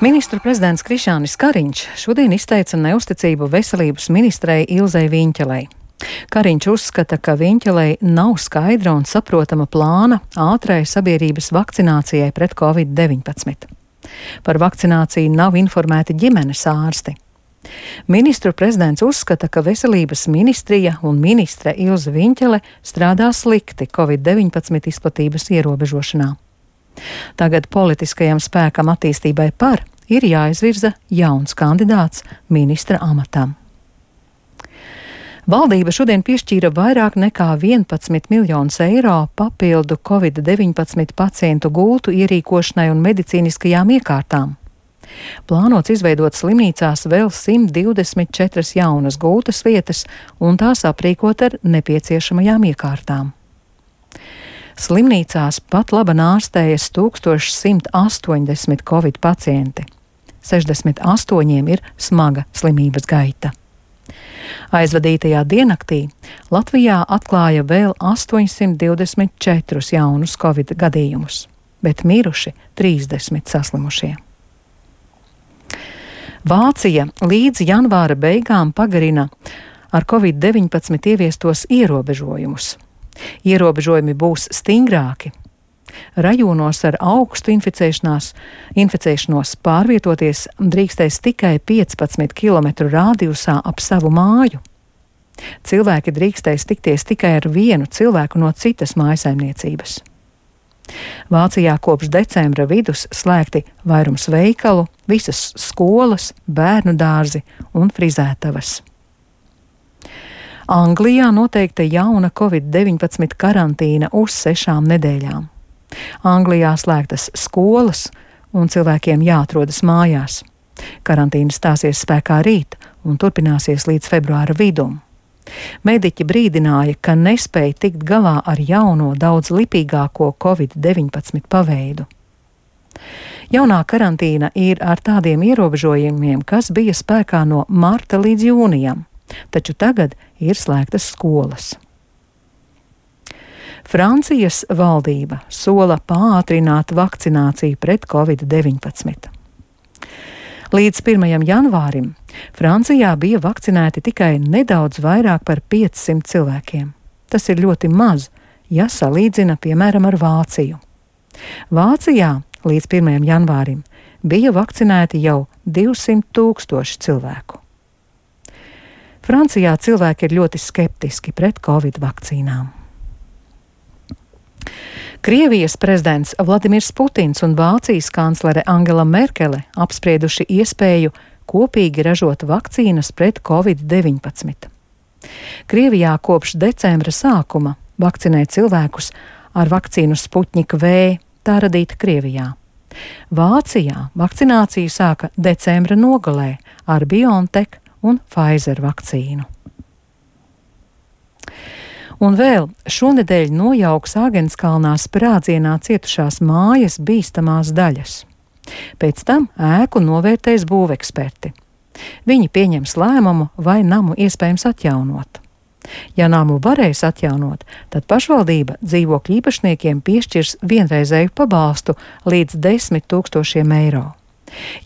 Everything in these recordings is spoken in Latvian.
Ministru prezidents Krišjānis Kariņš šodien izteica neusticību veselības ministrei Ilzei Viņķelei. Kariņš uzskata, ka Viņķelei nav skaidra un saprotama plāna ātrai sabiedrības vakcinācijai pret Covid-19. Par vakcināciju nav informēti ģimenes ārsti. Ministru prezidents uzskata, ka veselības ministrija un ministre Ilze Viņķele strādā slikti Covid-19 izplatības ierobežošanā. Tagad politiskajam spēkam attīstībai par ir jāizvirza jauns kandidāts ministra amatam. Valdība šodien piešķīra vairāk nekā 11 miljonus eiro papildu Covid-19 pacientu gultu ierīkošanai un medicīniskajām iekārtām. Plānots izveidot slimnīcās vēl 124 jaunas gultas vietas un tās aprīkot ar nepieciešamajām iekārtām. Slimnīcās pat labi ārstējas 1180 covid pacienti. 68 ir smaga slimības gaita. Aizvadītajā diennaktī Latvijā atklāja vēl 824 jaunus covid gadījumus, bet miruši 30 saslimušie. Vācija līdz janvāra beigām pagarina ar Covid-19 ieviestos ierobežojumus. Ierobežojumi būs stingrāki. Rajonos ar augstu inficēšanos pārvietoties drīkstēs tikai 15 km rādijusā ap savu māju. Cilvēki drīkstēs tikties tikai ar vienu cilvēku no citas mājasaimniecības. Vācijā kopš decembra vidus slēgti vairums veikalu, visas skolas, bērnu dārzi un frizētavas. Anglijā noteikta jauna Covid-19 karantīna uz 6 nedēļām. Anglijā slēgtas skolas un cilvēkiem jāatrodas mājās. Karantīna stāsies spēkā rīt un turpināsies līdz februāra vidum. Mediķi brīdināja, ka nespēja tikt galā ar jauno daudz lipīgāko Covid-19 paveidu. Jaunā karantīna ir ar tādiem ierobežojumiem, kas bija spēkā no marta līdz jūnijam, taču tagad ir slēgtas skolas. Francijas valdība sola pātrināt vakcināciju pret Covid-19. Līdz 1. janvārim Francijā bija vakcinēti tikai nedaudz vairāk par 500 cilvēkiem. Tas ir ļoti maz, ja salīdzina, piemēram, ar Vāciju. Vācijā līdz 1. janvārim bija vakcinēti jau 200 000 cilvēku. Francijā cilvēki ir ļoti skeptiski pret Covid vakcīnām. Krievijas prezidents Vladimirs Putins un Vācijas kanclere Angela Merkele apsprieduši iespēju kopīgi ražot vakcīnas pret Covid-19. Krievijā kopš decembra sākuma vakcinē cilvēkus ar vakcīnu Sputnik V, tā radīta Krievijā. Vācijā vakcināciju sāka decembra nogalē ar BioNTech un Pfizer vakcīnu. Un vēl šonedēļ nojauks Āgenskalnā sprādzienā cietušās mājas bīstamās daļas. Pēc tam ēku novērtēs būveksperti. Viņi pieņems lēmumu, vai namu iespējams atjaunot. Ja namu varēs atjaunot, tad pašvaldība dzīvokļu īpašniekiem piešķirs vienreizēju pabalstu līdz 10 000 eiro.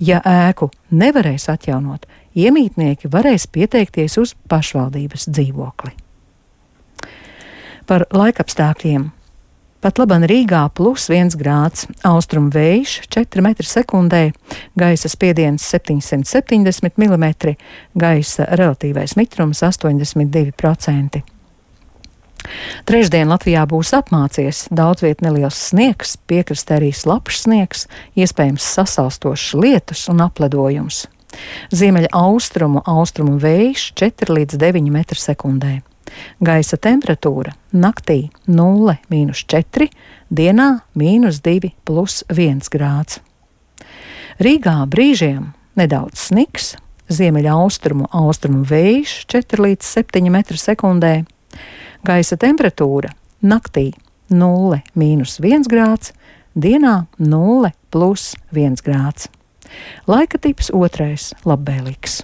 Ja ēku nevarēs atjaunot, iemītnieki varēs pieteikties uz pašvaldības dzīvokli. Par laikapstākļiem. Pat laban Rīgā +1 grāds, austrumu vējš 4 m/sekundē, gaisa spiediens 770 mm, gaisa relatīvais mitrums 82%. Trešdien Latvijā būs apmācies, daudz viet neliels sniegs, piekrastē arī slapjš sniegs, iespējams sasalstošs lietus un apledojums. Ziemeļa austrumu vējš 4 līdz 9 m/sekundē. Gaisa temperatūra naktī 0–4, dienā -2 + 1 grāds. Rīgā brīžiem nedaudz sniks, ziemeļa austrumu vējš 4 līdz 7 m/sekundē. Gaisa temperatūra naktī 0–1 grāds, dienā 0 + 1 grāds. Laika tips 2. labvēlīgs.